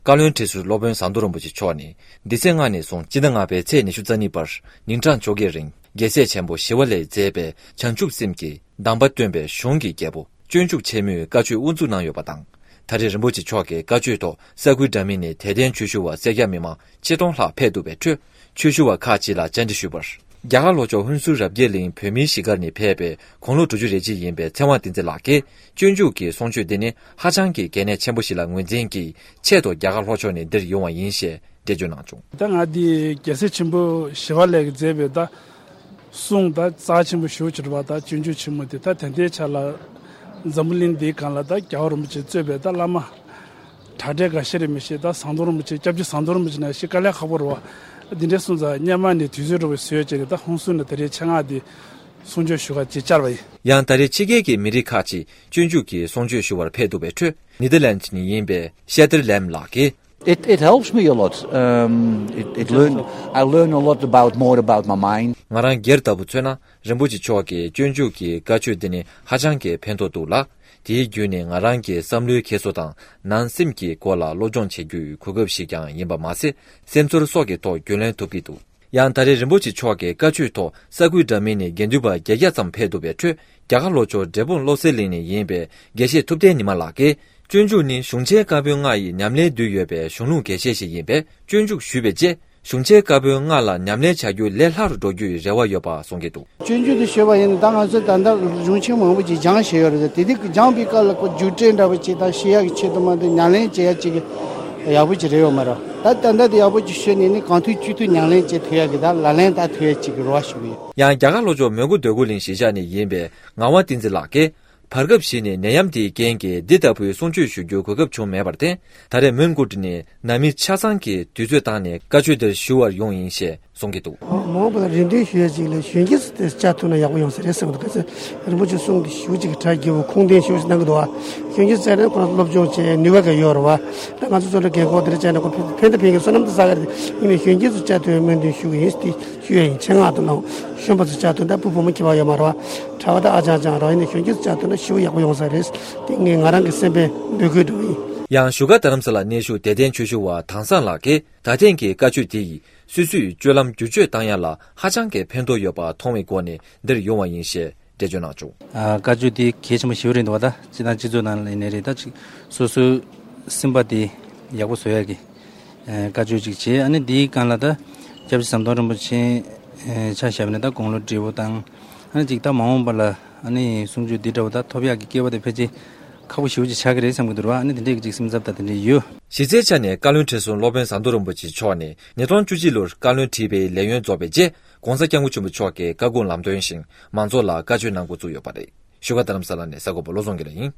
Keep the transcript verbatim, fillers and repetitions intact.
བཀའ་བློན་ཁྲི་ཟུར་སློབ་དཔོན་ཟམ་གདོང་རིན་པོ་ཆེ་མཆོག་ནས་འདི་ཚེས་ལྔ་ནས་བཟུང་སྤྱི་ཟླ་ལྔ་པའི་ཚེས་ཉི་ཤུ་རྩ་གཉིས་བར་ཉིན་གྲངས་བཅོ་བརྒྱད་རིང་རྒྱལ་སྲས་ཆེན་པོ་ཞི་བ་ལྷས་མཛད་པའི་བྱང་ཆུབ་སེམས་ཀྱི་གདམས་པ་སྟོན་པའི་གཞུང་གི་རྒྱལ་པོ་སྤྱོད་འཇུག་ཆེན་མོའི་བཀའ་ཆོས་དབུ་འཛུགས་གནང་ཡོད་པ་དང་། ད་རེས་རིན་པོ་ཆེ་མཆོག་གི་བཀའ་ཆོས་ཐོག་ས་ཁུལ་འདྲ་མིན་ནས་དད་ལྡན་ཆོས་ཞུ་བ་སེར་སྐྱ་མི་མང་ཆིག་སྟོང་ལྷག་ཕེབས་འདུག་པའི་ཁྲོད། ཆོས་ཞུ་བ་ཁག་ཅིག་ལ་བཅར་འདྲི་ཞུས་པར། རྒྱ་གར་ལྷོ་ཕྱོགས་ཧུན་སུར་རབ་རྒྱས་གླིང་བོད་མིའི་གཞིས་སྒར་ནས་ཕེབས་པའི་དགུང་ལོ་དྲུག་ཅུ་རེ་གཅིག་ཡིན་པའི་ཚེ་དབང་བསྟན་འཛིན་ལགས་ཀྱིས་སྤྱོད་འཇུག་གི་གསུང་ཆོས་འདི་ནི་ཧ་ཅང་གི་གལ་གནད་ཆེན་པོ་ཞིག་ལ་ངོས་འཛིན་གྱིས་ཆེད་དུ་རྒྱ་གར་ལྷོ་ཕྱོགས་ནས་འདིར་ཡོང་བ་ཡིན་ཞེས་འགྲེལ་བརྗོད་གནང་བྱུང་། ད་ང་འདི་རྒྱལ་སྲས་ཆེན་པོ་ཞི་བ་ལྷས་ཀྱིས་མཛད་པའི་ད་གསུང་ད་རྩ་ཆེན་པོ་ཞེ་པོ་ཅིག་རེད་པ། ད་སྤྱོད་འཇུག་ཆེན་མོ་དེ་ད་ད་ལྟའི་ཆ་ལ་འཛམ་བུ་གླིང་འདིའི་སྒང་ལ་ད་རྒྱལ་བ་རིན་པོ་ཆེ་གཙོས་པའི་ད་བླ་མ་གྲགས་འགྲེལ་འགའ་ཤས་རེད་མི་ཤེས། ད་ཟམ་གདོང་རིན་པོ་ཆེ་སྐྱབས་རྗེ་ཟམ་གདོང་རིན་པོ་ཆེ་ནང་བཞིན་དཀའ་ལས་ཁག་པོ་རེད་པ། འདི་འདྲའི་གསུང་ཚར་སྔོན་མ་ནས་དུས་ཚོད་འགྲོ་བའི་བཟོས་བྱས་ནས་ད་ཧུན་སུར་ནས་ད་རེས་ཆེད་མངགས་དེ་གསུང་ཆོས་ཞུ་ག་ཅིག་བཅར་བ་ཡིན། ཡང་ད་རེས་ཕྱི་རྒྱལ་གྱི་མི་རིགས་ཁག་ཅིག་སྤྱོད་འཇུག་གི་གསུང་ཆོས་ཞུ་བར་ཕེབས་འདུག་པའི་ཁྲོད་ནེ་དར་ལན་ནས་ཡིན་པའི་ཤེ་ཏར་ལེམ་ལགས་ཀྱིས། It, it helps me a lot. Um, it, it learn, I learn a lot about, more about my mind. ང་རང་སྒེར་ལྟ་བུ་མཚོན་ན་རིན་པོ་ཆེ་མཆོག་གི་སྤྱོད་འཇུག་གི་བཀའ་ཆོས་འདི་ནི་ཧ་ཅང་གི་ཕན་ཐོགས་འདུག་ལ། དེའི་བརྒྱུད་ནས་ང་རང་གི་བསམ་བློའི་འཁྱེར་སོ་དང་ནང་སེམས་ཀྱི་སྐོར་ལ་སློབ་སྦྱོང་བྱེད་རྒྱུའི་གོ་སྐབས་ཤིག་ཀྱང་ཡིན་པ་མ་ཟད། སེམས་ཚོར་སོགས་ཀྱི་ཐོག་རྒྱུས་ལོན་ཐུབ་ཀྱི་འདུག། ཡང་ད་རེས་རིན་པོ་ཆེ་མཆོག་གི་བཀའ་ཆོས་ཐོག་ས་ཁུལ་འདྲ་མིན་ནས་དགེ་འདུན་པ་བརྒྱད་བརྒྱ་ཙམ་ཕེབས་འདུག་པའི་ཁྲོད། རྒྱ་གར་ལྷོ་ཕྱོགས་འབྲས་སྤུངས་བློ་གསལ་གླིང་ནས་ཡིན་པའི་དགེ་བཤེས་ཐུབ་བསྟན་ཉི་མ་ལགས་ཀྱིས། སྤྱོད་འཇུག་ནི་གཞུང་ཆེན་བཀའ་པོད་ལྔ་ཡི་ཉམས་ལེན་འདུས་ཡོད་པའི་གཞུང་ལུགས་གལ་ཆེ་ཞིག་ཡིན་པས། སྤྱོད་འཇུག་ཞུས་པའི་རྗེས། གཞུང་ཆེན་བཀའ་པོད་ལྔ་ལ་ཉམས་ལེན་བྱ་རྒྱུ་ལས་སླ་རུ་འགྲོ་རྒྱུའི་རེ་བ་ཡོད་པ་གསུང་གི་འདུག། སྤྱོད་འཇུག་དེ་ཞུས་པ་ཡིན་ན་ད་ང་ཚོས་ད་ལྟ་གཞུང་ཆེན་མང་པོ་ཅིག་སྦྱངས་བཞག་ཡོད་རེད། དེ་དུས་སྦྱངས་པའི་སྐབས་ལ་ཁོ་རྒྱུགས་སྤྲོད་འདྲ་པོ་ཅིག་དང་ཤེས་ཡག་གི་ཆེད་དུ་མ་གཏོགས་ཉམས་ལེན་བྱེད་ཡག་ཅིག་ཡག་པོ་ཅིག་རེད་ཡོད་མ་རེད། ད་ད་ལྟ་དེ་ཡག་པོ་ཅིག་ཤོད་ནས་ནི་གང་ཐུབ་ཅི་ཐུབ་ཉམས་ལེན་བྱེད་ཐུབ་ཡག་གི་ད་ལག་ལེན་བསྟར་ཐུབ་ཡག་ཅིག་གི་རེ་བ་ཞུ་གི་ཡོད། ཡང་རྒྱ་གར་ལྷོ་ཕྱོགས་མོན་གྷོ་འདོད་རྒུ་གླིང་གཞིས་ཆགས་ནས་ཡིན་པའི་ངག་དབང་བསྟན་འཛིན་ལགས་ཀྱིས། བར་སྐབས་ཤིག་ནས་ནད་ཡམས་དེའི་རྐྱེན་གྱིས་འདི་ལྟ་བུའི་གསུང་ཆོས་ཞུ་རྒྱུའི་གོ་སྐབས་བྱུང་མེད་པར་བརྟེན། ད་རེས་མོན་གྷོ་ནས་ནང་མི་ཆ་ཚང་གིས་དུས་ཚོད་བཏང་ནས་བཀའ་ཆོས་འདིར་ཞུ་བར་ཡོང་ཡིན་ཞེས་གསུང་གི་འདུག། མ་འོངས་པ་ལ་རེ་འདུན་ཞུ་ཡ་ཅིག་ལ་གཞོན་སྐྱེས་ཚོ་དེ་བཅར་ཐུབ་ན་ཡག་པོ་ཡོང་ས་རེད་བསམ་གི་འདུག། ག་ཚོད་རིན་པོ་ཆེ་གསུང་གི་ཞུ་ཅིག་གི་གྲ་རྒྱས་པོ་ཁུངས་ལྡན་ཞུ་ཞིག་གནང་གི་འདུག་བ། གཞོན་སྐྱེས་ཚོ་བཅར་ན་ཁོ་རང་སློབ་སྦྱོང་བྱེད་ནུས་པ་ག་ཡོད་རེད་བ། ད་ང་ཚོ་ཚོ་ལ་རྒན་འཁོགས་དེ་འདྲ་བཅར་ན་ཁོ་ཕན་ཕན་ད་ཕན་གི་བསོད་ནམས་དེ་བསགས་གི་རེད། ཡིན་ནའི་གཞོན་སྐྱེས་ཚོ་བཅར་ཐུབ་པའི་སྨོན་འདུན་ཞུ་གི་ཡིན་ཞེས་ཞུ་ཡ་ཡིན། ཆེད་མངགས་དུ་གནང་། གཞོན་པ་ཚོ་བཅར་ཐུབ་ན་ད་བུ་བུ་མོ་ཁྱད་པར་ཡོད་མ་རེད་བ། གྲྭ་པ་དང་ཨ་ཅག་ཅག་རང་ཡིན་ནའི་གཞོན་སྐྱེས་ཚོ་བཅར་ཐུབ་ན་ཞེ་པོ་ཡག་པོ་ཡོང་ས་རེད། དེ་ངས་ང་རང་གི་སེམས་པའི་འབོད་སྐུལ་འདྲ་བོ་ཡིན། ཡང་བཞུགས་སྒར་རྡ་རམ་ས་ལ་གནས་བཞུགས་དད་ལྡན་ཆོས་ཞུ་བ་དྭངས་བཟང་ལགས་ཀྱིས་ད་ཐེངས་ཀྱི་བཀའ་ཆོས་དེ་ཡིས་སོ་སོའི་སྤྱོད་ལམ་བསྒྱུར་བཅོས་བཏང་ཡ་ལ་ཧ་ཅང་གི་ཕན་ཐོགས་ཡོད་པ་མཐོང་བའི་སྒོ་ནས་འདིར་ཡོང་བ་ཡིན་ཞེས་འགྲེལ་བརྗོད་གནང་བྱུང་། ཨ། བཀའ་ཆོས་དེ་གལ་ཆེན་པོ་ཞེ་པོ་རེད་འདུག་བ། ད་སྤྱི་དང་སྤྱི་ཚོགས་ནང་ལ་ཡིན་ནའི་རེད། ད་ཅིག་སོ་སོའི་སེམས་པ་དེ་ཡག་པོ་བཟོ་ཡ་གི་ཨ་བཀའ་ཆོས་ཅིག་བྱས། ཨ་ནི་འདིའི་སྒང་ལ་ད་སྐྱབས་རྗེ་ཟམ་གདོང་རིན་པོ་ཆེ་ཨ་ཆ་བཞག་པ་ཡིན་ན་ད་དགུང་ལོ་བགྲེས་པོ་དང་། ཨ་ནི་ཅིག་ད་མ་འོངས་པ་ལ་ཨ་ནི་གསུང་ཆོས་འདི་འདྲ་བོ་ད་ཐོབ་ཡག་གི་སྐལ་བ་དེ་ཕལ་ཆེར་ཁག་པོ་ཞེ་པོ་ཅིག་ཆགས་ཀྱི་རེད་བསམ་གྱི་འདུག་ར། ཨ་ནི་དེ་འདྲའི་ཅིག་སེམས་འཚབ་ད་དེ་འདྲ་ཡོད། གཞི་རྩའི་ཆ་ནས་བཀའ་བློན་ཁྲི་ཟུར་སློབ་དཔོན་ཟམ་གདོང་རིན་པོ་ཆེ་མཆོག་ནས་ཉིས་སྟོང་བཅུ་གཅིག་ལོར་བཀའ་བློན་ཁྲི་པའི་ལས་ཡུན་རྫོགས་པའི་རྗེས། ༸གོང་ས་༸སྐྱབས་མགོན་ཆེན་པོ་མཆོག་གི་བཀའ་དགོངས་ལམ་སྟོན་བཞིན་མང་ཚོགས་ལ་བཀའ་ཆོས་གནང་འགོ་བཙུགས་ཡོད་པ་རེད། བཞུགས་སྒར་རྡ་རམ་ས་ལ་ནས་གསར་འགོད་པ་བློ་བཟང་དགེ་ལེགས་ཡིན།